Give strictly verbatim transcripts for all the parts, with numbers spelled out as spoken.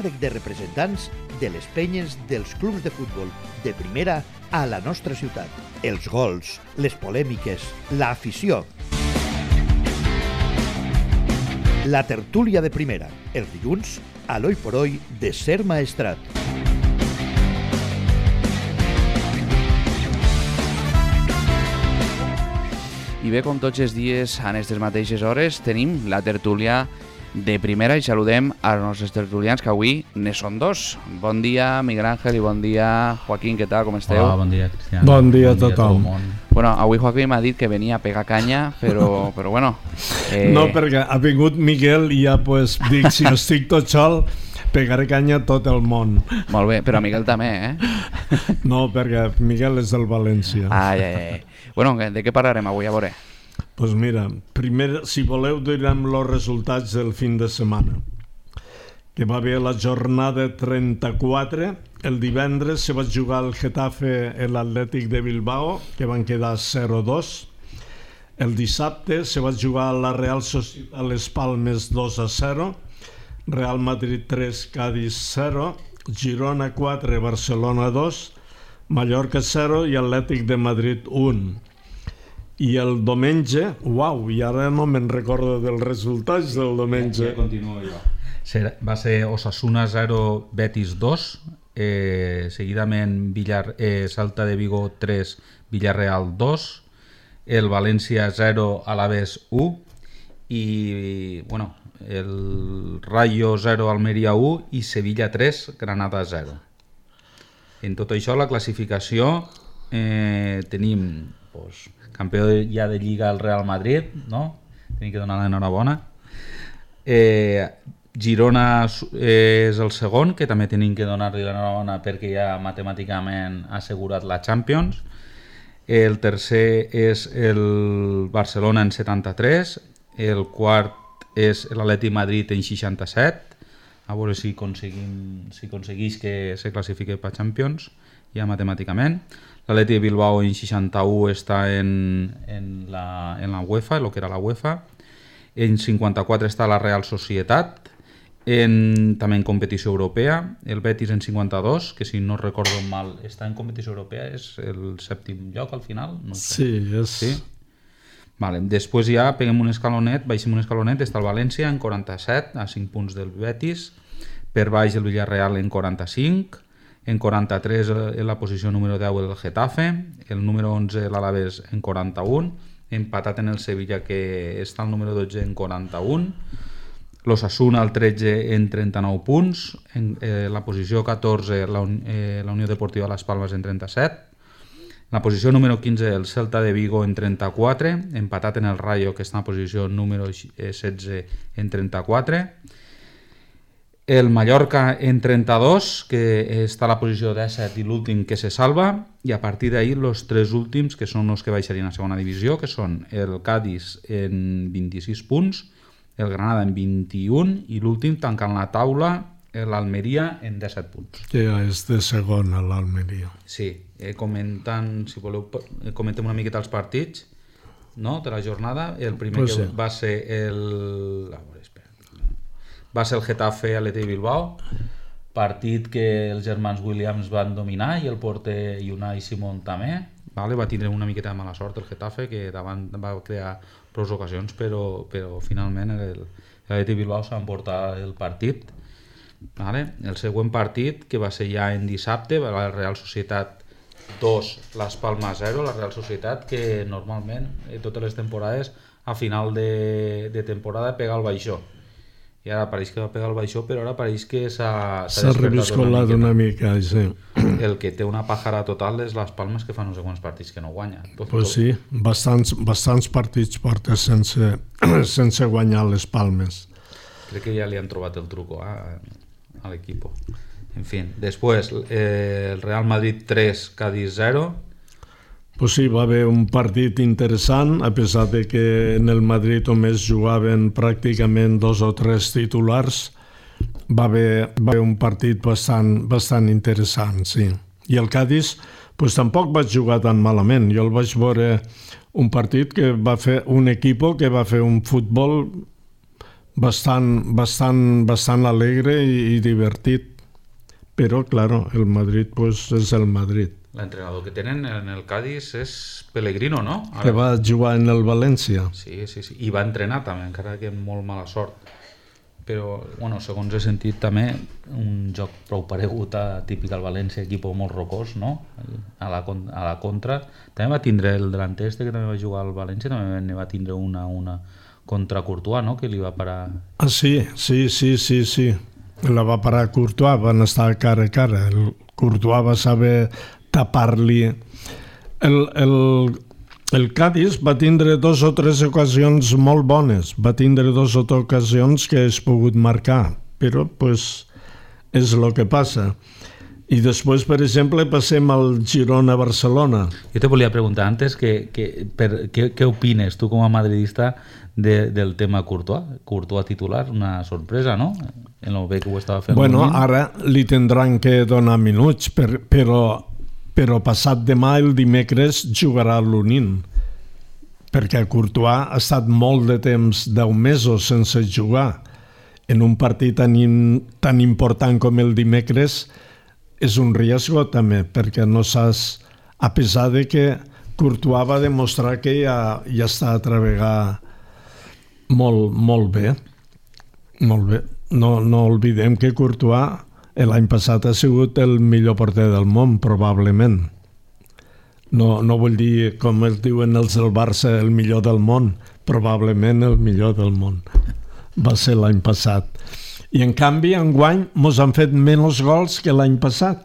de representants de les penyes dels clubs de futbol de primera a la nostra ciutat. Els gols, les polèmiques, l'afició. La tertúlia de primera, els dilluns, a l'Oi por Hoy de Ser Maestrat. I bé, com tots els dies, a aquestes mateixes hores, tenim la tertúlia de primera i saludem als nostres tertulians, que avui ne són dos. Bon dia, Miguel Ángel, i bon dia, Joaquín, què tal, com esteu? Hola, bon dia, Cristian. Bon dia a tothom. Bueno, avui Joaquín m'ha dit que venia a pegar canya, però, però bueno... Eh... No, perquè ha vingut Miguel i ja pues, dic, si estic tot sol, pegaré canya a tot el món. Molt bé, però Miguel també, eh? No, perquè Miguel és del València. Ai, ai, ai. Bueno, de què parlarem avui, a veure? Doncs pues mira, primer, si voleu, direm els resultats del fin de setmana. Que va haver la jornada trenta-quatre. El divendres se va jugar el Getafe i l'Atlètic de Bilbao, que van quedar zero dos. El dissabte se va jugar la Real Societat Les Palmes dos a zero, Real Madrid tres, Cádiz zero, Girona quatre, Barcelona dos, Mallorca zero i Atlètic de Madrid un. I el diumenge, uau, i ara no me'n recordo dels resultats del diumenge. Ja, ja continuo jo. Va ser Osasuna zero, Betis dos, eh, seguidament Villar, eh, Celta de Vigo tres, Villarreal dos, el València zero, Alavés u, i bueno, el Rayo zero, Almeria u i Sevilla tres, Granada zero. En tot això, la classificació, eh, tenim pues, campió ja de Lliga el Real Madrid, no? Tenim que donar l'enhorabona. Eh, Girona és el segon, que també tenim que donar-li l'enhorabona perquè ja matemàticament ha assegurat la Champions. El tercer és el Barcelona en setanta-tres, el quart és l'Atlètic Madrid en seixanta-set, a veure si aconseguim, si aconsegueix que se classifiqui per Champions, ja matemàticament. L'Atlètic de Bilbao en seixanta-u està en, en, la, en la UEFA, el que era la UEFA. En cinquanta-quatre està la Real Societat, en, també en competició europea. El Betis en cinquanta-dos, que si no recordo mal està en competició europea, és el sèptim lloc al final. No sé. Sí, és... Sí? Vale. Després ja peguem un escalonet, baixem un escalonet, està el València en quaranta-set, a cinc punts del Betis, per baix el Villarreal en quaranta-cinc, en quaranta-tres en la posició número deu el Getafe, el número onze l'Alavés en quaranta-un, empatat en el Sevilla que està al número dotze en quaranta-un, l'Osasuna al tretze en trenta-nou punts, en eh, la posició catorze la, eh, la Unió Deportiva Las Palmas en trenta-set, la posició número quinze el Celta de Vigo en trenta-quatre, empatat en el Rayo que està en la posició número setze en trenta-quatre, el Mallorca en trenta-dos, que està a la posició disset i l'últim que se salva, i a partir d'ahir els tres últims, que són els que baixarien a segona divisió, que són el Cádiz en vint-i-sis punts, el Granada en vint-i-un i l'últim tancant la taula, l'Almeria en disset punts. Que ja és de segona l'Almeria. Sí, eh, comentant, si voleu, comentem una miqueta els partits, no?, de la jornada. El primer pues que sí. va ser el... va ser el Getafe Atlètic de Bilbao, partit que els germans Williams van dominar i el porter Unai Simón també, vale? Va tindre una miqueta de mala sort el Getafe, que davant va crear prou ocasions, però, però finalment l'Atlètic de Bilbao s'ha emportat el partit. Vale? El següent partit, que va ser ja en dissabte, va la Real Societat dos, Las Palmas zero, la Real Societat que normalment totes les temporades a final de, de temporada pega el baixó. I ara pareix que va pegar el baixó, però ara pareix que s'ha reviscolat una, una mica, sí. El que té una pàjara total és les Palmes, que fa no sé quants partits que no guanya. Doncs pues sí, bastants, bastants partits porta sense, sense guanyar les Palmes. Crec que ja li han trobat el truco eh, a l'equip. En fi, després eh, el Real Madrid tres, Cádiz zero. Pues sí, va haver un partit interessant, a pesar de que en el Madrid només jugaven pràcticament dos o tres titulars, va haver, va haver un partit bastant, bastant interessant, sí. I el Cádiz pues, tampoc vaig jugar tan malament. Jo el vaig veure un partit que va fer un equip que va fer un futbol bastant, bastant, bastant alegre i, i divertit. Però, claro, el Madrid pues, és el Madrid. L'entrenador que tenen en el Cádiz és Pellegrino, no? Ara... Que va jugar en el València. Sí, sí, sí. I va entrenar també, encara que amb molt mala sort. Però, bueno, segons he sentit també, un joc prou paregut a típic al València, equip molt rocós, no? A la, a la contra. També va tindre el delanter este que també va jugar al València, també ne va tindre una, una contra Courtois, no? Que li va parar... Ah, sí, sí, sí, sí, sí. La va parar Courtois, van estar cara a cara. El Courtois va saber tapar-li. El, el, el Cádiz va tindre dos o tres ocasions molt bones, va tindre dos o tres ocasions que has pogut marcar, però pues, és el que passa. I després, per exemple, passem al Girona-Barcelona. Jo te volia preguntar antes que, que, per, què, què opines tu com a madridista de, del tema Courtois? Courtois titular, una sorpresa, no? En el bé que ho estava fent. Bueno, ara li tindran que donar minuts, per, però, però passat demà, el dimecres, jugarà l'Unín. Perquè Courtois ha estat molt de temps, deu mesos, sense jugar. En un partit tan, in, tan important com el dimecres, és un riesgo també, perquè no saps, a pesar de que Courtois va demostrar que ja, ja està a treballar molt, molt bé. Molt bé. No, no oblidem que Courtois l'any passat ha sigut el millor porter del món, probablement. No, no vull dir, com es diuen els del Barça, el millor del món, probablement el millor del món. Va ser l'any passat. I en canvi, enguany, mos han fet menys gols que l'any passat.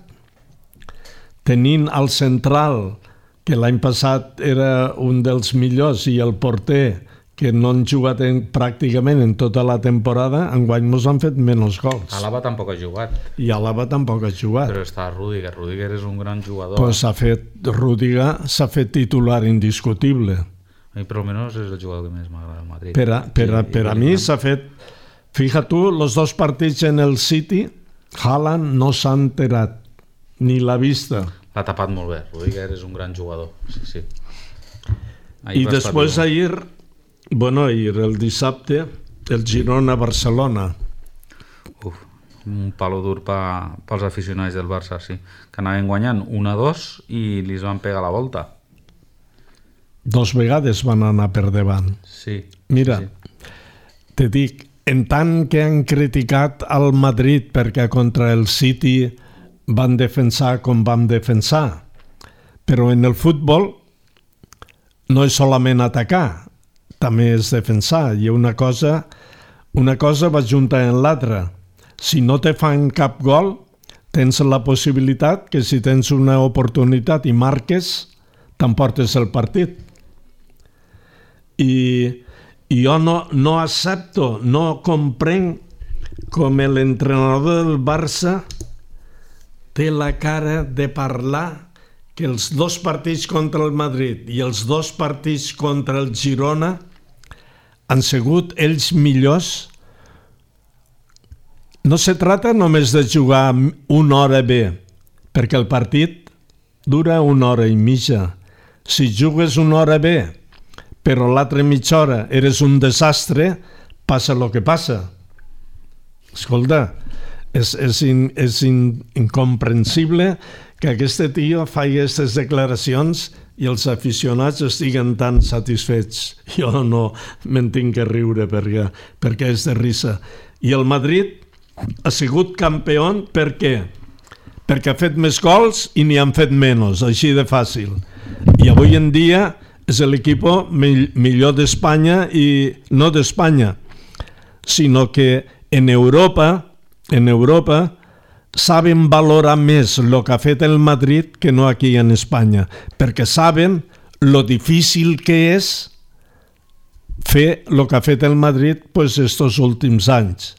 Tenint el central, que l'any passat era un dels millors, i el porter, que no han jugat en, pràcticament en tota la temporada, enguany mos han fet menys gols. Alaba tampoc ha jugat. I Alaba tampoc ha jugat. Però està Rüdiger. Rüdiger és un gran jugador. Pues s'ha fet, Rüdiger s'ha fet titular indiscutible. A mi, per almenys, és el jugador que més m'agrada al Madrid. Per a, per a, per a mi s'ha fet... Fija tu, els dos partits en el City, Haaland no s'ha enterat, ni l'ha vista. L'ha tapat molt bé. Rüdiger és un gran jugador. Sí, sí. I després ahir, bueno, ahir, el dissabte, el Girona-Barcelona. Uf, un palo dur pa, pels aficionats del Barça, sí. Que anaven guanyant un a dos i li van pegar la volta. Dos vegades van anar per davant. Sí. Mira, sí. Te dic, en tant que han criticat al Madrid perquè contra el City van defensar com vam defensar, però en el futbol no és solament atacar, també és defensar, i una cosa, una cosa va junta en l'altra. Si no te fan cap gol, tens la possibilitat que si tens una oportunitat i marques, t'emportes el partit. I... I jo no, no accepto, no comprenc com l'entrenador del Barça té la cara de parlar que els dos partits contra el Madrid i els dos partits contra el Girona han sigut ells millors. No se trata només de jugar una hora bé, perquè el partit dura una hora i mitja. Si jugues una hora bé, però l'altra mitja hora eres un desastre, passa el que passa. Escolta, és, és, in, és in, incomprensible que aquest tio faci aquestes declaracions i els aficionats estiguen tan satisfets. Jo no me'n tinc que riure perquè, perquè és de risa. I el Madrid ha sigut campió per què? Perquè ha fet més gols i n'hi han fet menys, així de fàcil. I avui en dia és l'equip millor d'Espanya i no d'Espanya, sinó que en Europa, en Europa saben valorar més el que ha fet el Madrid que no aquí en Espanya, perquè saben lo difícil que és fer el que ha fet el Madrid pues, estos últims anys.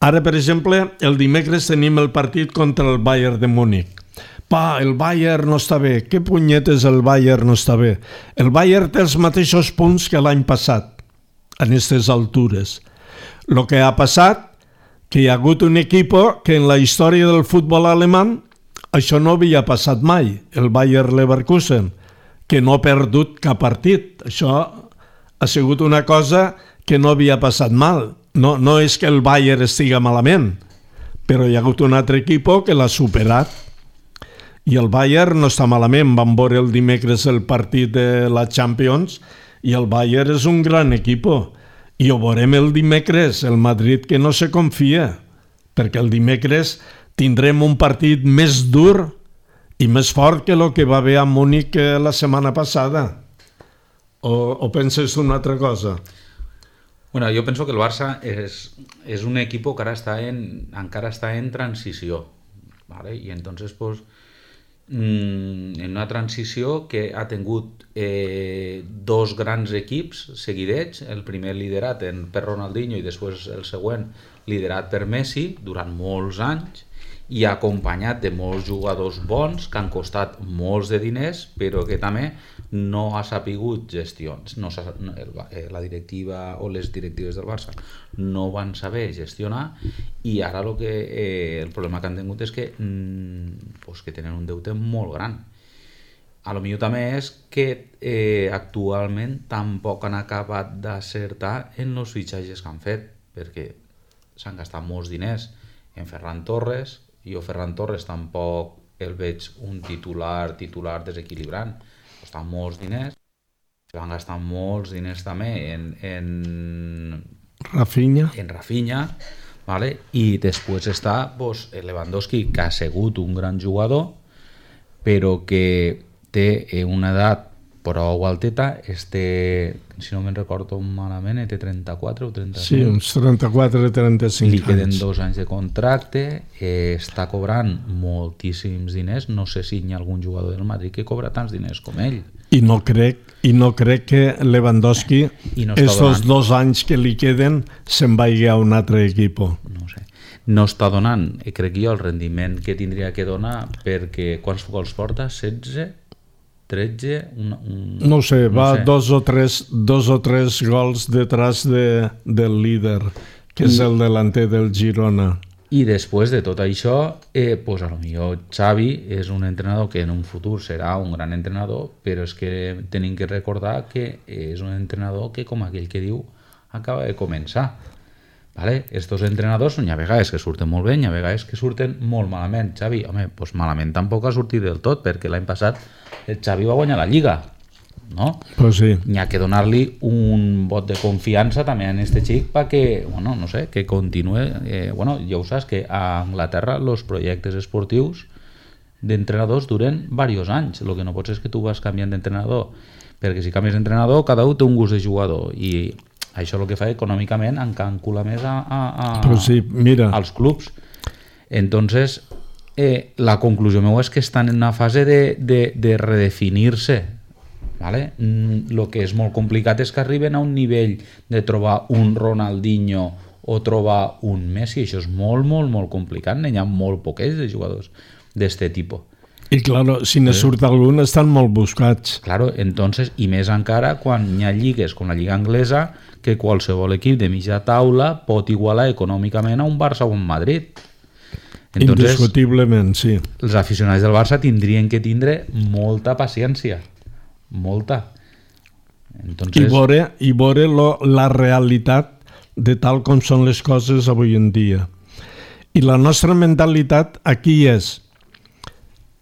Ara, per exemple, el dimecres tenim el partit contra el Bayern de Múnich. Pa, el Bayern no està bé. Què punyetes el Bayern no està bé? El Bayern té els mateixos punts que l'any passat, en aquestes altures. El que ha passat, que hi ha hagut un equip que en la història del futbol alemany això no havia passat mai, el Bayer Leverkusen, que no ha perdut cap partit. Això ha sigut una cosa que no havia passat mal. no, no és que el Bayern estiga malament, però hi ha hagut un altre equip que l'ha superat. I el Bayern no està malament. Vam veure el dimecres el partit de la Champions i el Bayern és un gran equip. I ho veurem el dimecres, el Madrid que no se confia, perquè el dimecres tindrem un partit més dur i més fort que el que va haver a Múnich la setmana passada. O, o penses una altra cosa? Bueno, jo penso que el Barça és, és un equip que ara està en, encara està en transició, ¿vale? I entonces pues, en una transició que ha tingut eh, dos grans equips seguidets, el primer liderat en, per Ronaldinho i després el següent liderat per Messi durant molts anys i acompanyat de molts jugadors bons que han costat molts de diners però que també no ha sapigut gestions, no, la directiva o les directives del Barça no van saber gestionar i ara lo que, eh, el problema que han tingut és que, mm, pues que tenen un deute molt gran. A lo millor també és que eh, actualment tampoc han acabat d'acertar en els fitxatges que han fet, perquè s'han gastat molts diners en Ferran Torres. Jo Ferran Torres tampoc el veig un titular titular desequilibrant, costa molts diners, van gastar molts diners també en, en Rafinha, en Rafinha, ¿vale? I després està pues, Lewandowski, que ha sigut un gran jugador, però que té una edat prou alteta, este, si no me'n recordo malament, té trenta-quatre o trenta-cinc. Sí, uns trenta-quatre o trenta-cinc anys. Li queden anys. dos anys de contracte, eh, està cobrant moltíssims diners, no sé si hi ha algun jugador del Madrid que cobra tants diners com ell. I no crec, i no crec que Lewandowski, no estos dos anys que li queden, se'n vagi a un altre equip. No sé. No està donant, crec jo, el rendiment que tindria que donar, perquè quants gols porta? setze? tretze? Un, un, no sé, no va sé. Dos, o tres, dos o tres gols detrás de, del líder, que I, és el delanter del Girona. I després de tot això, eh, pues a lo millor Xavi és un entrenador que en un futur serà un gran entrenador, però és que tenim que recordar que és un entrenador que, com aquell que diu, acaba de començar. Vale? Estos entrenadors hi ha vegades que surten molt bé, hi ha vegades que surten molt malament. Xavi, home, pues malament tampoc ha sortit del tot, perquè l'any passat el Xavi va guanyar la Lliga, no? Pues sí. Hi ha que donar-li un vot de confiança també a este xic perquè, bueno, no sé, que continue. Eh, bueno, ja ho saps que a Anglaterra els projectes esportius d'entrenadors duren diversos anys. El que no pots és que tu vas canviant d'entrenador, perquè si canvies d'entrenador cada un té un gust de jugador i això el que fa econòmicament encàncula més a, a, a, sí, mira. als clubs. Entonces, eh, la conclusió meva és que estan en una fase de, de, de redefinir-se. ¿Vale? Mm, lo que és molt complicat és que arriben a un nivell de trobar un Ronaldinho o trobar un Messi. Això és molt, molt, molt complicat. N'hi ha molt poquets de jugadors d'este tipus. I claro, si ne surt algun estan molt buscats. Claro, entonces, i més encara quan hi ha lligues com la Lliga Anglesa que qualsevol equip de mitja taula pot igualar econòmicament a un Barça o un Madrid. Entonces, indiscutiblement, sí. Els aficionats del Barça tindrien que tindre molta paciència, molta. Entonces... I veure, i veure lo, la realitat de tal com són les coses avui en dia. I la nostra mentalitat aquí és: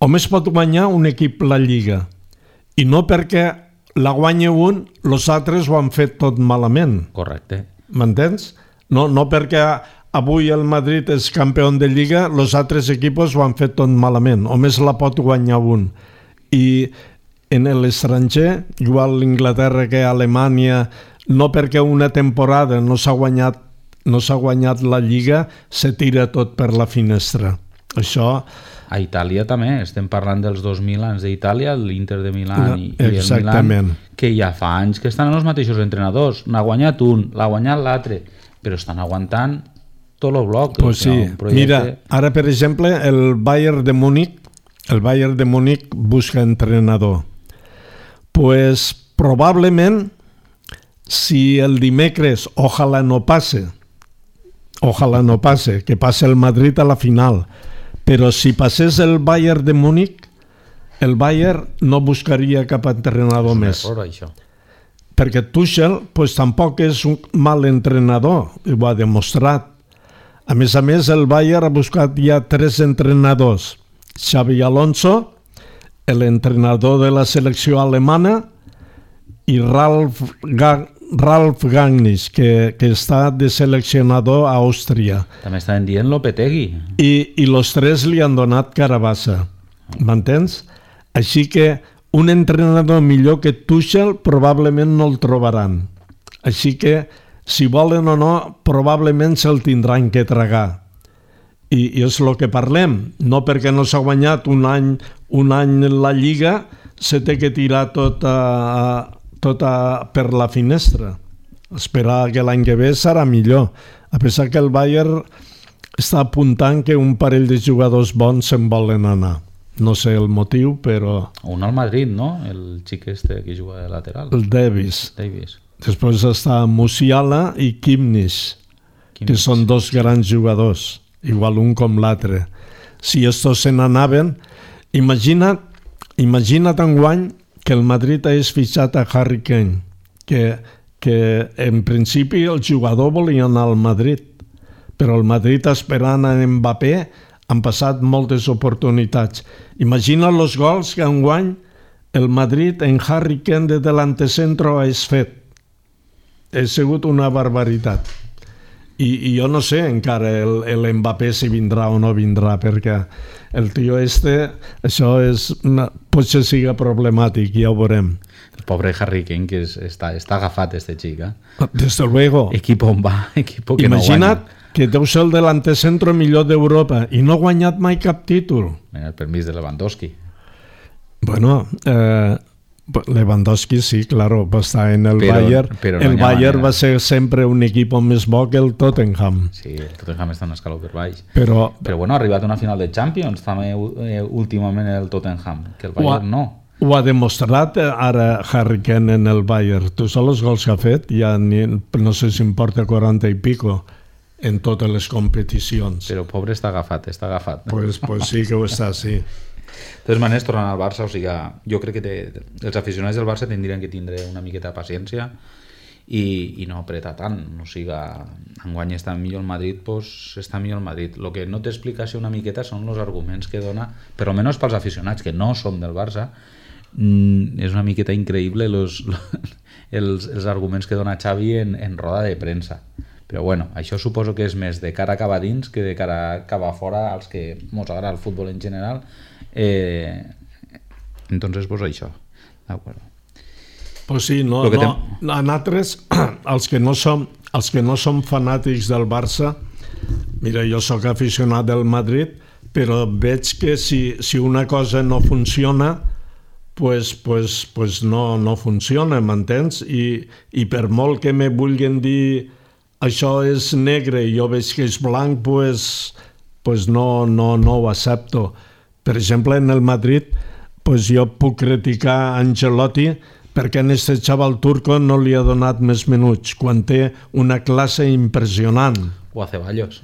només pot guanyar un equip la Lliga, i no perquè la guanya un, els altres ho han fet tot malament. Correcte. M'entens? No, no perquè avui el Madrid és campió de Lliga, els altres equips ho han fet tot malament. Només la pot guanyar un. I en l'estranger, igual a l'Inglaterra que a Alemanya, no perquè una temporada no s'ha guanyat, no s'ha guanyat la Lliga, se tira tot per la finestra. Això... A Itàlia també, estem parlant dels dos Milans d'Itàlia, l'Inter de Milà i, i el Exactament. Milan, que ja fa anys que estan els mateixos entrenadors. N'ha guanyat un, l'ha guanyat l'altre, però estan aguantant tot el bloc. Pues sí. Projecte... Mira, ara per exemple el Bayern de Múnich, el Bayern de Múnich busca entrenador. Pues probablement si el dimecres, ojalà no passe, ojalà no passe, que passe el Madrid a la final, però si passés el Bayern de Múnich, el Bayern no buscaria cap entrenador més. Error, això. perquè Tuchel pues, tampoc és un mal entrenador, ho ha demostrat. A més a més, el Bayern ha buscat ja tres entrenadors. Xabi Alonso, l'entrenador de la selecció alemana, i Ralf, Ga- Ralf Rangnick, que, que està de seleccionador a Àustria. També estaven dient Lopetegui. I, i los tres li han donat carabassa. M'entens? Així que un entrenador millor que Tuchel probablement no el trobaran. Així que, si volen o no, probablement se'l tindran que tragar. I, i és el que parlem. No perquè no s'ha guanyat un any, un any la Lliga, se té que tirar tot, a, tot a, per la finestra. Esperar que l'any que ve serà millor. A pesar que el Bayern està apuntant que un parell de jugadors bons se'n volen anar. No sé el motiu, però... Un al Madrid, no? El xic este que juga de lateral. El Davis. Davis. Després està Musiala i Kimmich, que són dos grans jugadors, igual un com l'altre. Si estos se n'anaven, imagina't, imagina't enguany que el Madrid hagués fitxat a Harry Kane, que, que en principi el jugador volia anar al Madrid, però el Madrid esperant a Mbappé han passat moltes oportunitats. Imagina els gols que enguany el Madrid en Harry Kane de delantecentro hagués fet. Ha sigut una barbaritat. I, i jo no sé encara el, el Mbappé si vindrà o no vindrà, perquè el tio este, això és, una, potser siga problemàtic, ja ho veurem. El pobre Harry Kane, que és, està, està agafat, este xic, eh? Desde luego. Equipo on va, equipo que Imagina't no guanya. que deu ser el delantecentro millor d'Europa i no ha guanyat mai cap títol. Mira, el permís de Lewandowski. Bueno, eh, Lewandowski sí, claro, va estar en el Però- Bayern. però no el hi ha Bayern manera. va ser sempre un equip més bo que el Tottenham. Sí, el Tottenham està un escaló per baix. Però Però bueno, ha arribat a una final de Champions també eh, últimament el Tottenham, que el ho ha, Bayern no. ho ha demostrat eh, ara Harry Kane en el Bayern. Tu saps els gols que ha fet? Ja ni, no sé si em porta quaranta i pico en totes les competicions. Però pobre està agafat, està agafat. Pues, pues sí que ho està, sí. De totes maneres, tornant al Barça, o sigui, jo crec que té, els aficionats del Barça tindrien que tindre una miqueta de paciència i, i no apretar tant. O sigui, enguany està millor el Madrid, doncs està millor el Madrid. El que no t'explicació una miqueta són els arguments que dona, per almenys pels aficionats que no som del Barça, mm, és una miqueta increïble los, els, els arguments que dona Xavi en, en roda de premsa. Però bueno, això suposo que és més de cara cap a dins que de cara cap a fora als que mos agrada el futbol en general. Eh, entonces pues això, d'acord. Pues sí, no, Lo que no, a nosaltres, els que no som, els que no som fanàtics del Barça, mira, jo sóc aficionat del Madrid, però veig que si, si una cosa no funciona, pues, pues, pues no, no funciona, m'entens? I, I per molt que me vulguin dir això és negre i jo veig que és blanc, pues, pues no, no, no ho accepto. Per exemple, en el Madrid, pues jo puc criticar Ancelotti perquè en este xaval turco no li ha donat més minuts, quan té una classe impressionant. O a Ceballos.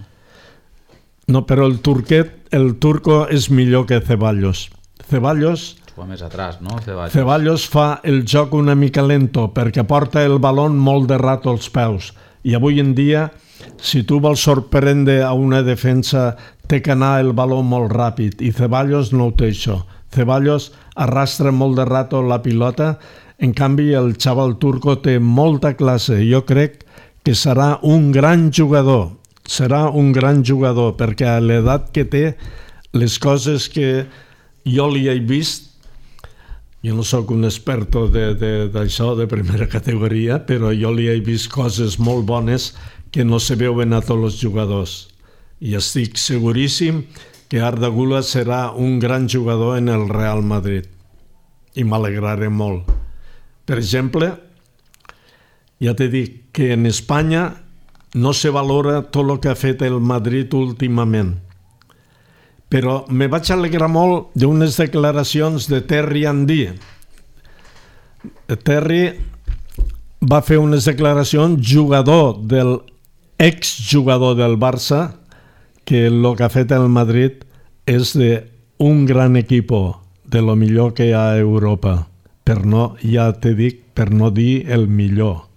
No, però el turquet, el turco és millor que Ceballos. Ceballos, Juga més atrás, no? Ceballos. Ceballos fa el joc una mica lento perquè porta el baló molt de rato als peus. I avui en dia, si tu vols sorprendre a una defensa, té que anar el baló molt ràpid, i Ceballos no ho té això. Ceballos arrastra molt de rato la pilota, en canvi el xaval turco té molta classe. Jo crec que serà un gran jugador, serà un gran jugador, perquè a l'edat que té, les coses que jo li he vist, jo no sóc un experto d'això, de, de, de primera categoria, però jo li he vist coses molt bones que no se veuen a tots els jugadors. I estic seguríssim que Arda Güler serà un gran jugador en el Real Madrid. I m'alegraré molt. Per exemple, ja t'he dit que en Espanya no se valora tot el que ha fet el Madrid últimament. Però me vaig alegrar molt d'unes declaracions de Terry Henry. Terry va fer unes declaracions, jugador del exjugador del Barça, que el que ha fet el Madrid és de un gran equip, de lo millor que hi ha a Europa. Però no, ja t'he dit per no dir el millor,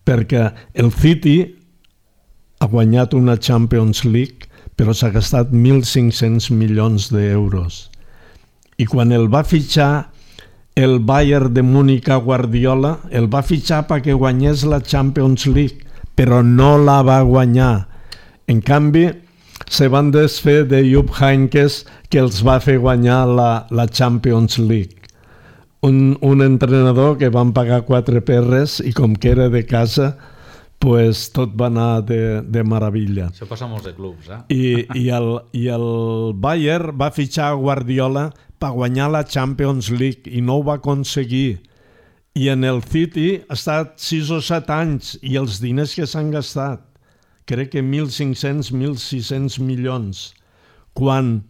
perquè el City ha guanyat una Champions League però s'ha gastat mil cinc-cents milions d'euros. I quan el va fitxar el Bayern de Múnich a Guardiola, el va fitxar perquè guanyés la Champions League, però no la va guanyar. En canvi, se van desfer de Jupp Heynckes, que els va fer guanyar la, la Champions League. Un, un entrenador que van pagar quatre perres i com que era de casa, pues tot va anar de, de meravella. Això passa a molts de clubs, eh? I, i, el, I el Bayern va fitxar a Guardiola per guanyar la Champions League i no ho va aconseguir. I en el City ha estat sis o set anys i els diners que s'han gastat, crec que mil cinc-cents a mil sis-cents milions, quan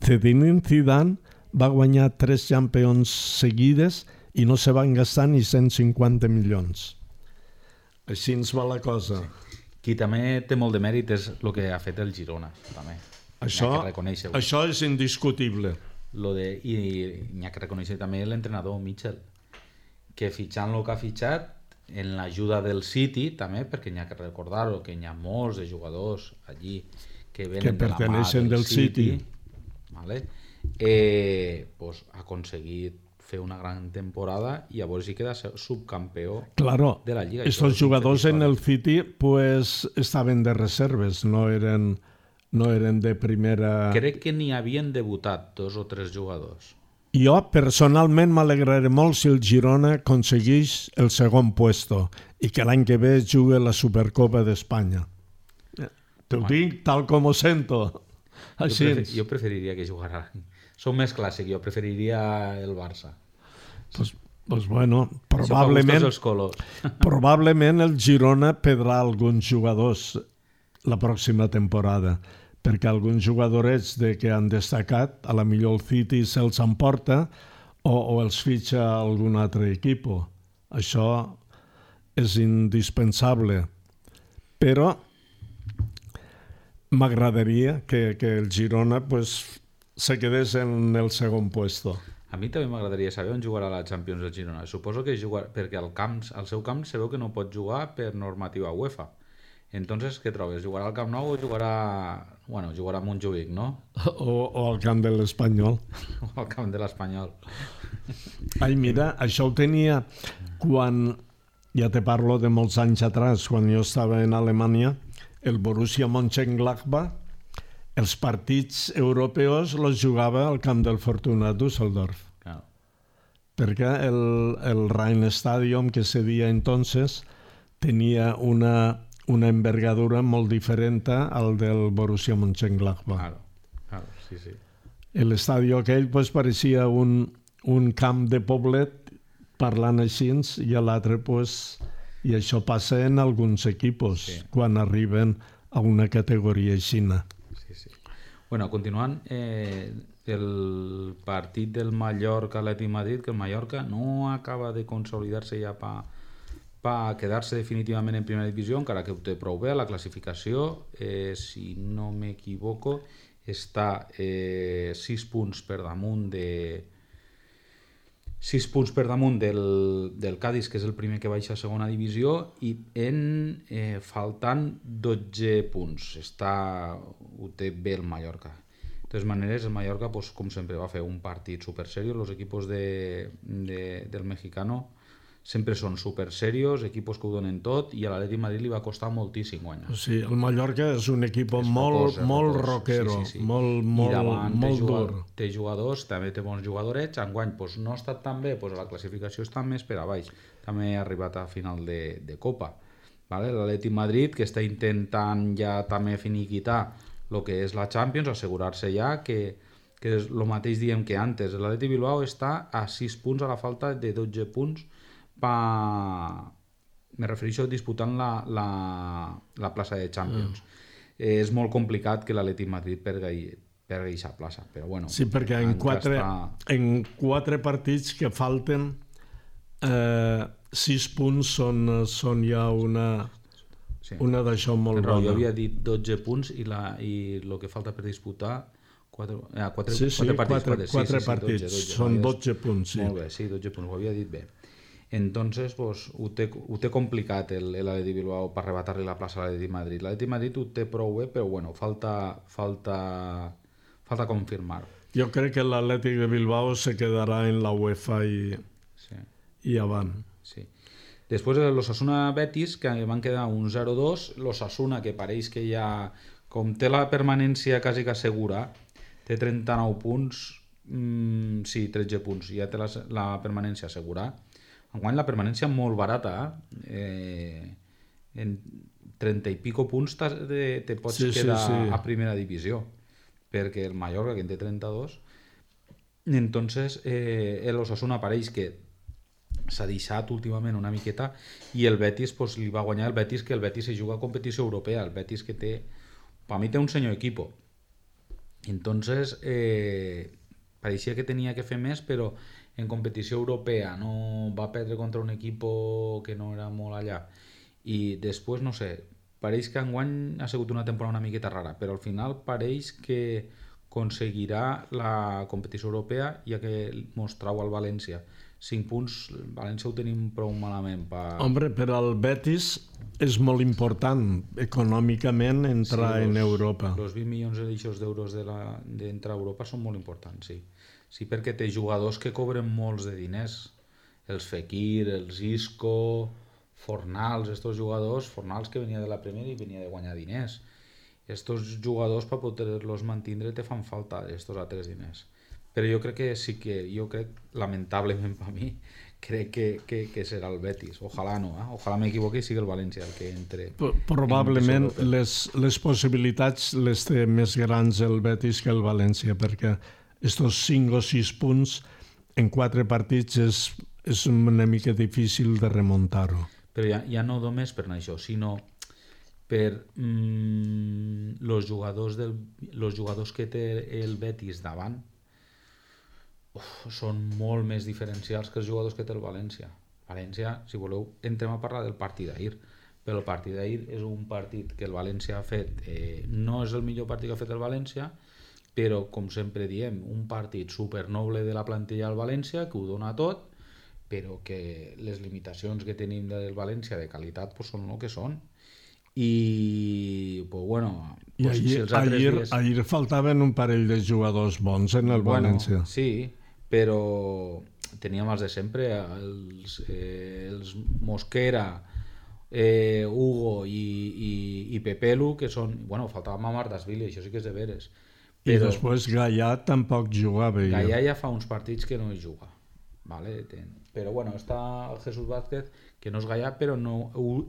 Zinedine Zidane va guanyar tres Champions seguides i no se van gastar ni cent cinquanta milions. Així ens va la cosa. Sí. Qui també té molt de mèrit és el que ha fet el Girona, també. Això, això és indiscutible. Lo de, I n'hi ha que reconèixer també l'entrenador Mitchell, que fitxant el que ha fitxat, en l'ajuda del City també, perquè n'hi ha que recordar-ho, que n'hi ha molts de jugadors allí que venen que de la mà del, del City, City vale? eh, pues, ha aconseguit fer una gran temporada i llavors hi queda subcampeó claro, de la Lliga. Estos jugadors en el City pues estaven de reserves, no eren, no eren de primera... Crec que n'hi havien debutat dos o tres jugadors. Jo personalment m'alegraré molt si el Girona aconsegueix el segon puesto i que l'any que ve jugui la Supercopa d'Espanya. Te ho dic tal com ho sento. Així. Jo, prefer, jo preferiria que jugara... Som més clàssic, jo preferiria el Barça. Pues, pues bueno, probablement, probablement el Girona perdrà alguns jugadors la pròxima temporada, perquè alguns jugadorets de que han destacat, a la millor el City se'ls emporta o, o els fitxa algun altre equip. Això és indispensable. Però m'agradaria que, que el Girona pues, se quedés en el segon puesto. A mi també m'agradaria saber on jugarà la Champions el Girona. Suposo que jugar, perquè al, camp, al seu camp se veu que no pot jugar per normativa UEFA. Entonces, què trobes? Jugarà al Camp Nou o jugarà... Bueno, jugarà a Montjuïc, no? O, o al camp de l'Espanyol. O al camp de l'Espanyol. Ai, mira, això ho tenia quan... Ja te parlo de molts anys atrás, quan jo estava en Alemanya, el Borussia Mönchengladbach, els partits europeus els jugava al camp del Fortuna Düsseldorf. Claro. Perquè el, el Rheinstadion que se dia entonces tenia una, una envergadura molt diferent al del Borussia Mönchengladbach. Claro, claro, sí, sí. L'estadi aquell pues, pareixia un, un camp de poblet parlant així i l'altre pues, i això passa en alguns equipos sí. Quan arriben a una categoria aixina. Sí, sí. Bueno, continuant, eh, el partit del Mallorca-Atlètic Madrid, que el Mallorca no acaba de consolidar-se ja per pa quedar-se definitivament en primera divisió, encara que ho té prou bé a la classificació, eh, si no m'equivoco, està eh, sis punts per damunt de... sis punts per damunt del, del Cádiz, que és el primer que baixa a segona divisió, i en eh, faltant dotze punts. Està, ho té bé el Mallorca. De totes maneres, el Mallorca, pues, com sempre, va fer un partit super seriós. Els equipos de, de, del mexicano sempre són super serios, equipos que ho donen tot, i a l'Atlètic Madrid li va costar moltíssim guanyar. Sí, el Mallorca és un equip molt, focós, molt focós. rockero, sí, sí, sí. molt, molt, molt té dur. Jugador, té jugadors, també té bons jugadorets, enguany pues, no ha estat tan bé, pues, la classificació està més per a baix, també ha arribat a final de, de Copa. Vale? L'Atlètic Madrid, que està intentant ja també finiquitar el que és la Champions, assegurar-se ja que, que és el mateix diem que antes. L'Atlètic Bilbao està a sis punts a la falta de dotze punts. Pa... Me refereixo disputant la, la, la plaça de Champions. Mm. Eh, és molt complicat que l'Atlètic Madrid pergui pergui aquesta plaça, però bueno. Sí, perquè en quatre, està... en quatre partits que falten eh, sis punts són, són ja una, sí. una d'això molt bona. Jo havia dit dotze punts i, la, i el que falta per disputar quatre, eh, quatre, sí, sí, quatre partits, quatre, quatre, quatre, quatre sí, sí, partits, dotze, dotze, són dotze, dotze punts. Sí. Molt bé, sí, dotze punts, ho havia dit bé. Entonces, pues, ho té, ho té complicat l'Atleti Bilbao per arrebatar-li la plaça a l'Atleti Madrid. L'Atleti Madrid ho té prou bé, però bueno, falta, falta, falta confirmar. Jo crec que l'Atlètic de Bilbao se quedarà en la UEFA i, sí. i avant. Sí. Després l'Osasuna Betis, que van quedar un zero dos, l'Osasuna, que pareix que ja, com té la permanència quasi que segura, té trenta-nou punts, mmm, sí, tretze punts, ja té la, la permanència assegurada. Enguany la permanència molt barata, eh? En trenta i pico punts te, te pots sí, quedar sí, sí. a primera divisió, perquè el Mallorca, que en té trenta-dos, entonces eh, l'Osasuna pareix que s'ha deixat últimament una miqueta i el Betis pues, li va guanyar el Betis, que el Betis se juga a competició europea, el Betis que té, per mi té un senyor equipo, entonces eh, pareixia que tenia que fer més, però en competició europea no va perdre contra un equipo que no era molt allà i després no sé, pareix que enguany ha sigut una temporada una miqueta rara, però al final pareix que aconseguirà la competició europea, ja que mostrau al València cinc punts, València ho tenim prou malament per... Hombre, per al Betis és molt important econòmicament entrar sí, los, en Europa. Els vint milions d'euros d'entrar a Europa són molt importants, sí. Sí, perquè té jugadors que cobren molts de diners, els Fekir, els Isco, Fornals, estos jugadors, Fornals que venia de la Premier i venia de guanyar diners. Estos jugadors per poder-los mantindre te fan falta estos altres diners. Però jo crec que sí que, jo crec, lamentablement per mi, crec que, que, que serà el Betis. Ojalà no, eh? Ojalà m'equivoqui i sigui el València el que entre. Probablement les, les possibilitats les té més grans el Betis que el València, perquè estos cinc o sis punts en quatre partits és, és una mica difícil de remuntar-ho. Però ja, ja no només per això, sinó per mm, los jugadors del, los jugadors que té el Betis davant uf, són molt més diferencials que els jugadors que té el València. València, si voleu, entrem a parlar del partit d'ahir, però el partit d'ahir és un partit que el València ha fet, eh, no és el millor partit que ha fet el València, però com sempre diem, un partit supernoble de la plantilla del València que ho dona tot, però que les limitacions que tenim del València de qualitat pues, són el que són. I pues, bueno, I pues, ahir, si els altres ahir, dies... ahir faltaven un parell de jugadors bons en el bueno, València. Sí, però teníem els de sempre, els, eh, els Mosquera, eh, Hugo i, i, i Pepelu, que són... Bueno, faltava Mamardashvili, això sí que és de veres. Però, I després Gaià tampoc jugava. Gaià ja fa uns partits que no hi juga. Vale? Però bueno, està el Jesús Vázquez, que no és Gaià, però no,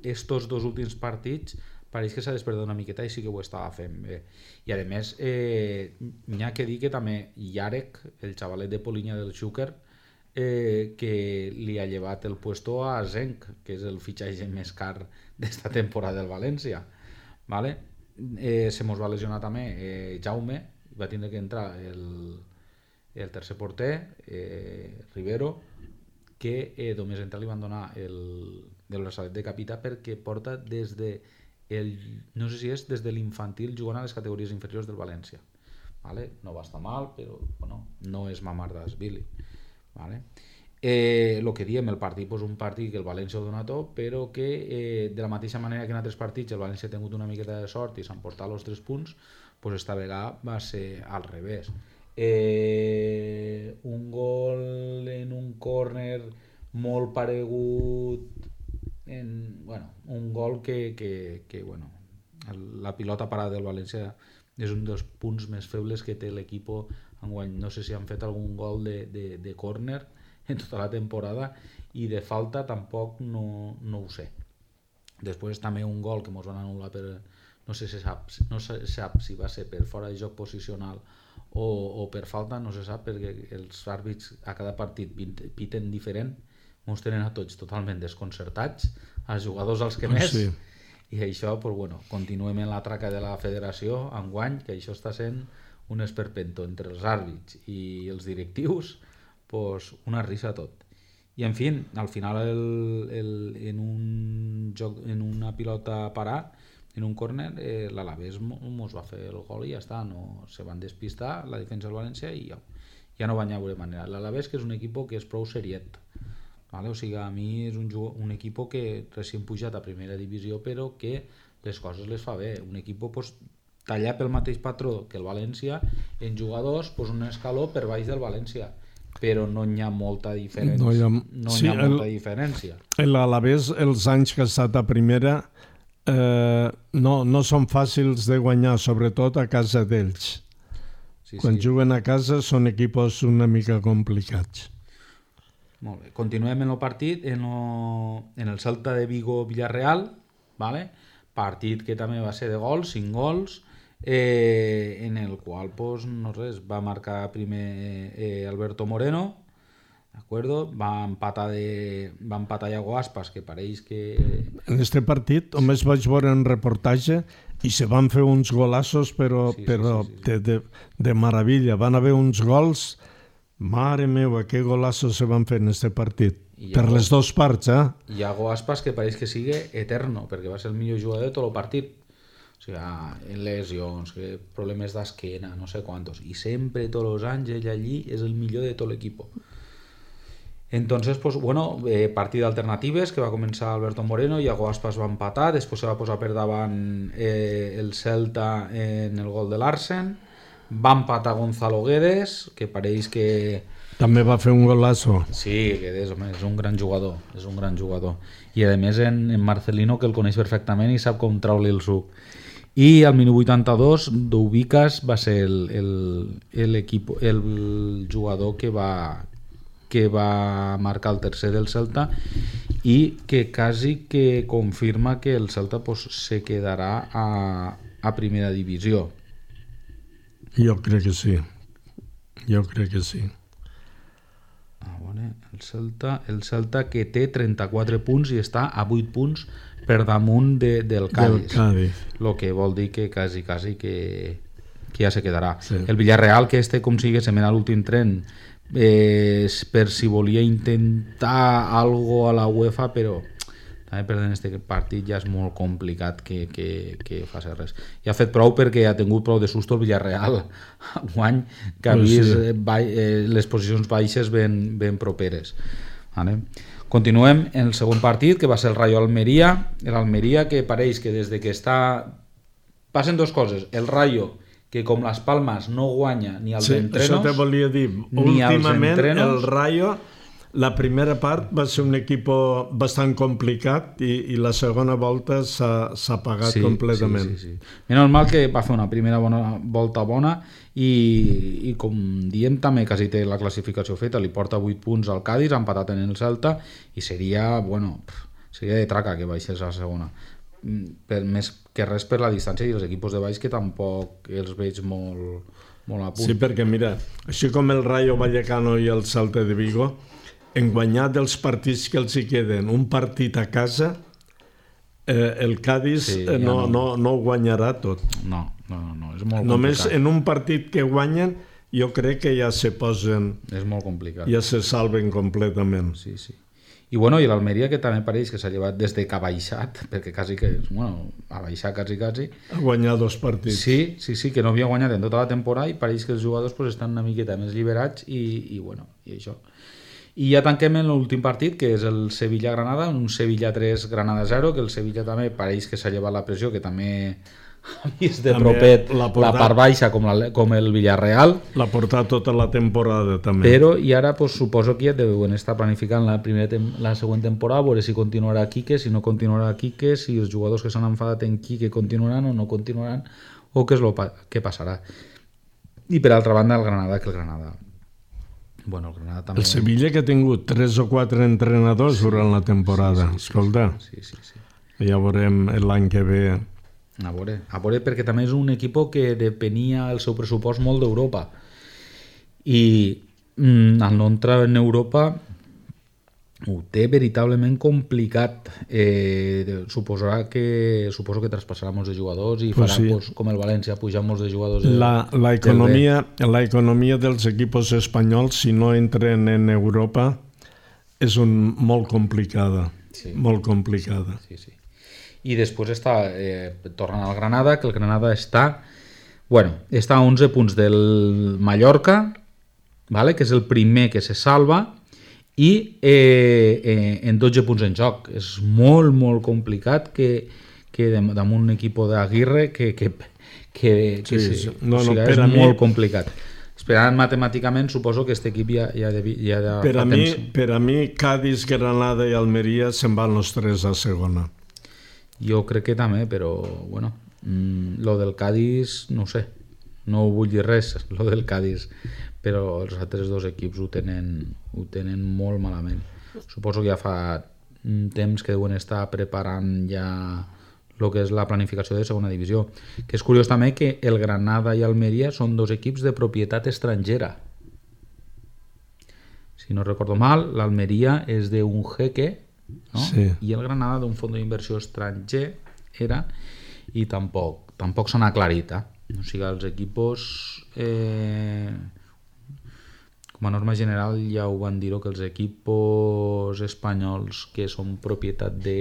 estos dos últims partits pareix que s'ha despertat una miqueta i sí que ho estava fent bé. I a més, eh, n'hi ha que dir que també Yarek, el xavalet de Polinya del Xúquer, eh, que li ha llevat el puesto a Zenc, que és el fitxatge més car d'esta temporada del València. Vale? Eh, se mos va lesionar també eh, Jaume, va tindre que entrar el, el tercer porter, eh, Rivero, que eh, només entrar li van donar el, el braçalet de capità perquè porta des de el, no sé si és des de l'infantil jugant a les categories inferiors del València. Vale? No va estar mal, però bueno, no és Mamardashvili. Vale? Eh, lo que diem, el partit és pues, un partit que el València ho dona tot, però que eh, de la mateixa manera que en altres partits el València ha tingut una miqueta de sort i s'han portat els tres punts, pues esta vegada va ser al revés. Eh, un gol en un córner molt paregut en, bueno, un gol que, que, que bueno, la pilota parada del València és un dels punts més febles que té l'equip enguany. No sé si han fet algun gol de, de, de córner en tota la temporada i de falta tampoc no, no ho sé. Després també un gol que ens van anul·lar per, no sé si sap, no se sap si va ser per fora de joc posicional o, o per falta, no se sap, perquè els àrbits a cada partit piten diferent, ens tenen a tots totalment desconcertats, als jugadors als que més, sí. I això, pues, bueno, continuem en la traca de la federació enguany, que això està sent un esperpento entre els àrbits i els directius, pues, una risa tot. I en fi, al final el, el, en un joc, en una pilota parar, en un córner, eh, l'Alavés mos va fer el gol i ja està, no se van despistar la defensa del València i ja, ja no van haver manera. L'Alavés, que és un equip que és prou seriet, Vale? O sigui, a mi és un, un equip que recient pujat a primera divisió, però que les coses les fa bé. Un equip pues, tallar pel mateix patró que el València en jugadors, pues, un escaló per baix del València, però no hi ha molta diferència. No hi ha, no sí, hi ha molta el, diferència. L'Alavés, els anys que ha estat a primera, eh, no, no són fàcils de guanyar, sobretot a casa d'ells. Sí, Quan sí. juguen a casa són equipos una mica complicats. Molt bé. Continuem en el partit, en, lo, en el Celta de Vigo-Villarreal, vale? Partit que també va ser de gols, cinc gols, eh, en el qual pues, no res, va marcar primer eh, Alberto Moreno, d'acord? Va empatar de, va empatar Iago Aspas, que pareix que... En este partit només vaig veure un reportatge i se van fer uns golassos, però, sí, sí, però sí, sí, sí. De, de, de meravella. Van haver uns gols, mare meva, que golassos se van fer en este partit. Iago, per les dues parts, eh? Iago Aspas, que pareix que sigui eterno, perquè va ser el millor jugador de tot el partit. O sigui, en lesions, problemes d'esquena, no sé quantos. I sempre, tots els anys, ell allí és el millor de tot l'equip. Entonces, pues, bueno, eh, partit d'alternatives que va començar Alberto Moreno, Iago Aspas va empatar, després se va posar per davant eh, el Celta en el gol de Larsen, va empatar Gonzalo Guedes, que pareix que... També va fer un golazo. Sí, Guedes, home, és un gran jugador, és un gran jugador. I a més en, en Marcelino, que el coneix perfectament i sap com traure-li el suc. I al minut vuitanta-dos, Doubicas va ser el, el, el, equip, el jugador que va... que va marcar el tercer del Celta i que quasi que confirma que el Celta pues, se quedarà a, a primera divisió. Jo crec que sí. Jo crec que sí. Ah, bueno, el Celta, el Celta que té trenta-quatre punts i està a vuit punts per damunt de, del Cádiz. Del Cádiz. Lo que vol dir que quasi, quasi que, que ja se quedarà. Sí. El Villarreal, que este com sigui se mena l'últim tren Eh, per si volia intentar algo a la UEFA, però també perdent este partit ja és molt complicat que, que, que faci res. I ha fet prou perquè ha tingut prou de susto el Villarreal guany, que ha vist sí. eh, les posicions baixes ben, ben properes. Vale? Continuem en el segon partit, que va ser el Rayo Almeria. L'Almeria, que pareix que des de que està... Passen dues coses. El Rayo, que com les Palmes no guanya ni als sí, entrenos, això te volia dir. Últimament el Rayo, la primera part va ser un equip bastant complicat i, i la segona volta s'ha apagat sí, completament. Sí, sí, sí. Menys mal que va fer una primera bona, volta bona i, i com diem també quasi té la classificació feta, li porta vuit punts al Cádiz, ha empatat en el Celta i seria, bueno, seria de traca que baixés a la segona. Per, més que res per la distància i els equips de baix que tampoc els veig molt, molt a punt. Sí, perquè mira, així com el Rayo Vallecano i el Celta de Vigo, en guanyar dels partits que els hi queden un partit a casa, eh, el Cádiz sí, eh, no, no, no ho guanyarà tot. No, no, no, és molt Només complicat. En un partit que guanyen jo crec que ja se posen... És molt complicat. Ja se salven completament. Sí, sí. I bueno, i l'Almeria, que també pareix que s'ha llevat des de que ha baixat, perquè quasi que, bueno, ha baixat quasi, quasi. Ha guanyat dos partits. Sí, sí, sí, que no havia guanyat en tota la temporada i pareix que els jugadors pues, estan una miqueta més liberats i, i bueno, i això. I ja tanquem en l'últim partit, que és el Sevilla-Granada, un Sevilla tres, Granada zero, que el Sevilla també pareix que s'ha llevat la pressió, que també ha vist de també propet la, portat, la part baixa com, la, com el Villarreal. L'ha portat tota la temporada també. Però i ara pues, suposo que ja deuen estar planificant la, primera tem la següent temporada, veure si continuarà Quique, si no continuarà Quique, si els jugadors que s'han enfadat en Quique continuaran o no continuaran, o què és lo pa què passarà. I per altra banda el Granada, que el Granada... Bueno, el Granada també... El Sevilla, que ha tingut tres o quatre entrenadors sí, durant la temporada, sí, sí, escolta. Sí, sí, sí. Ja veurem l'any que ve... A veure, a veure, perquè també és un equip que depenia el seu pressupost molt d'Europa i mm, al no entrar en Europa ho té veritablement complicat. Eh, suposarà que suposo que traspassarà molts de jugadors i pues farà sí. pues, com el València, pujar molts de jugadors de, la, la, economia, la economia dels equips espanyols, si no entren en Europa, és un, molt complicada. Sí. Molt complicada. Sí, sí. I després està eh, tornant al Granada, que el Granada està bueno, està a onze punts del Mallorca, vale? Que és el primer que se salva, i eh, eh, en dotze punts en joc. És molt, molt complicat que, que damunt un equip d'Aguirre que, que, que, que sí, sí, sí. No, o sigui, no, és mi, molt complicat. Esperant matemàticament, suposo que aquest equip ja, ja, de, ja de per, a fa mi, temps. per a mi, Cádiz, Granada i Almeria se'n van els tres a segona. Jo crec que també, però bueno, mm, lo del Cádiz, no ho sé, no vull dir res, lo del Cádiz, però els altres dos equips ho tenen, ho tenen molt malament. Suposo que ja fa un temps que deuen estar preparant ja el que és la planificació de segona divisió. Que és curiós també que el Granada i Almeria són dos equips de propietat estrangera. Si no recordo mal, l'Almeria és d'un jeque, no? Sí. I el Granada d'un fons d'inversió estranger era, i tampoc, tampoc s'han aclarit. Eh? O sigui, els equipos... Eh, com a norma general ja ho van dir que els equipos espanyols que són propietat de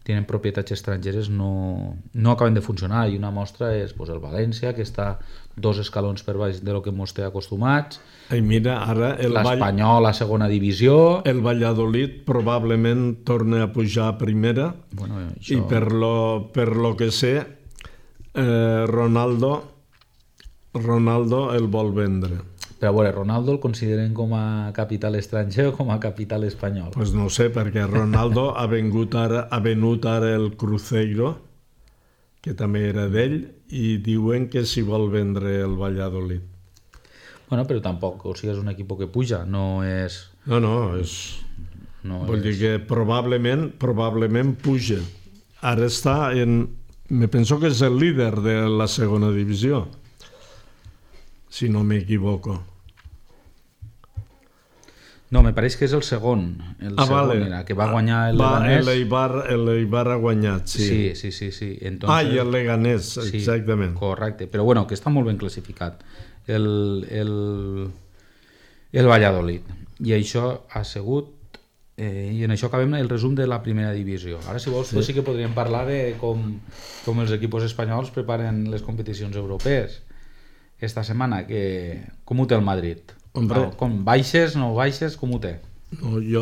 tenen propietats estrangeres no, no acaben de funcionar, i una mostra és pues, el València, que està dos escalons per baix de lo que ens té acostumats. I mira, ara el l'Espanyol a segona divisió, el Valladolid probablement torna a pujar a primera, bueno, això... i per lo, per lo que sé eh, Ronaldo Ronaldo el vol vendre. Però a veure, Ronaldo el consideren com a capital estranger o com a capital espanyol? Pues no sé, perquè Ronaldo ha, vengut ara, ha venut ara el Cruzeiro, que també era d'ell, i diuen que s'hi vol vendre el Valladolid. Bueno, però tampoc, o sigui, és un equip que puja, no és... No, no, és... No Vull és... dir que probablement, probablement puja. Ara està en... Me penso que és el líder de la segona divisió, si no m'equivoco. No, me pareix que és el segon. El ah, segon vale. era, que va guanyar el va, Leganés. L'Eibar, l'Eibar ha guanyat, sí. Sí, sí, sí. sí. Entonces, ah, i el Leganés, sí, exactament. Correcte, però bueno, que està molt ben classificat. El, el, el Valladolid. I això ha sigut... Eh, I en això acabem el resum de la primera divisió. Ara, si vols, sí, pues sí que podríem parlar de com, com els equips espanyols preparen les competicions europees. Esta setmana, que, com ho té el Madrid? Hombre, No, com baixes, no baixes, com ho té? no, jo,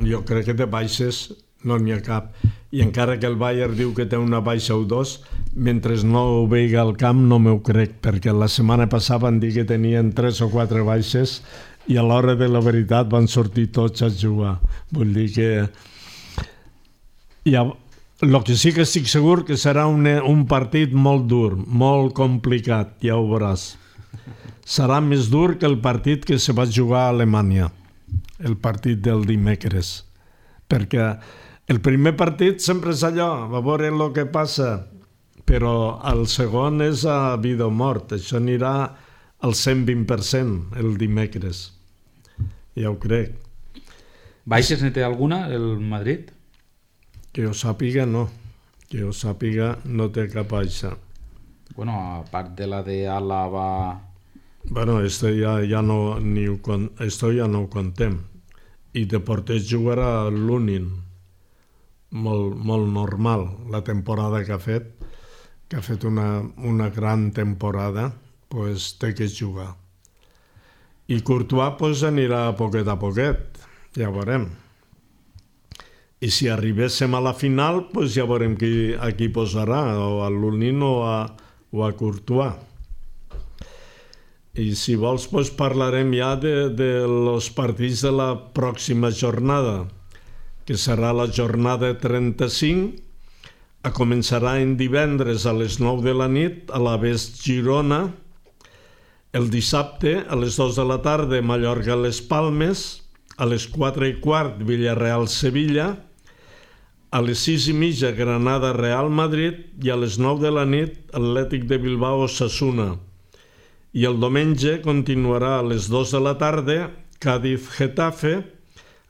jo crec que de baixes no n'hi ha cap, i encara que el Bayern diu que té una baixa o dos, mentre no ho vegi al camp no m'ho crec, perquè la setmana passada van dir que tenien tres o quatre baixes i a l'hora de la veritat van sortir tots a jugar. Vull dir que ja, el que sí que estic segur que serà un, un partit molt dur, molt complicat, ja ho veuràs. Serà més dur que el partit que se va jugar a Alemanya, el partit del dimecres, perquè el primer partit sempre és allò, a veure el que passa, però el segon és a vida o mort, això anirà al cent vint per cent el dimecres, ja ho crec. Baixes ne té alguna, el Madrid? Que jo sàpiga, no. Que jo sàpiga, no té cap baixa. Bueno, a part de la de Álava... Bueno, esto ja, ja no, ni ho, esto ja no ho contem. I de porter jugarà l'Unin, molt, molt normal, la temporada que ha fet, que ha fet una, una gran temporada, pues té que jugar. I Courtois pues, anirà a poquet a poquet, ja veurem. I si arribéssim a la final, pues ja veurem qui, a qui posarà, o a l'Unin o a, o a Courtois. I si vols, pues, parlarem ja de, de los partits de la pròxima jornada, que serà la jornada trenta-cinc, a començarà en divendres a les nou de la nit a la Vest Girona, el dissabte a les dues de la tarda Mallorca-Les Palmes, a les quatre i quart Villarreal-Sevilla, a les sis i mitja Granada-Real Madrid i a les nou de la nit Atlètic de Bilbao-Osasuna. I el diumenge continuarà a les dues de la tarda Cádiz-Getafe,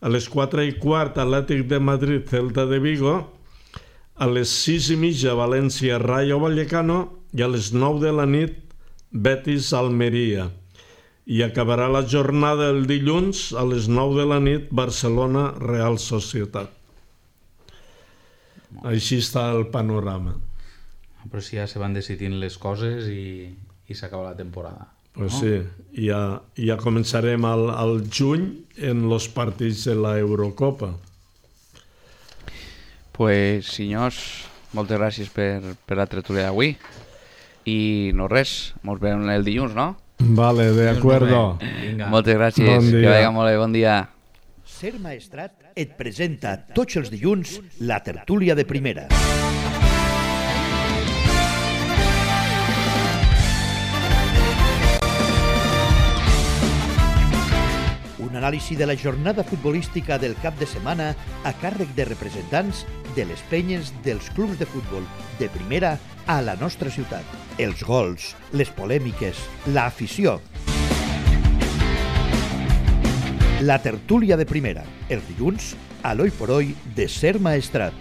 a les quatre i quart Atlètic de Madrid-Celta de Vigo, a les sis i mitja València-Rayo Vallecano i a les nou de la nit Betis-Almeria. I acabarà la jornada el dilluns a les nou de la nit Barcelona-Real Societat. Així està el panorama. Però si ja se van decidint les coses i, i s'acaba la temporada. Pues no? sí, ja, ja començarem al, al juny en els partits de la Eurocopa. Pues, senyors, moltes gràcies per, per la tertúlia d'avui. I no res, ens veiem el dilluns, no? Vale, de acuerdo. Moltes gràcies, bon que vagi molt bé, bon dia. Ser Maestrat et presenta tots els dilluns la tertúlia de primera. Un anàlisi de la jornada futbolística del cap de setmana a càrrec de representants de les penyes dels clubs de futbol de primera a la nostra ciutat. Els gols, les polèmiques, l'afició. La tertúlia de primera, els dilluns, a l'Oi por Hoy de Ser Maestrat.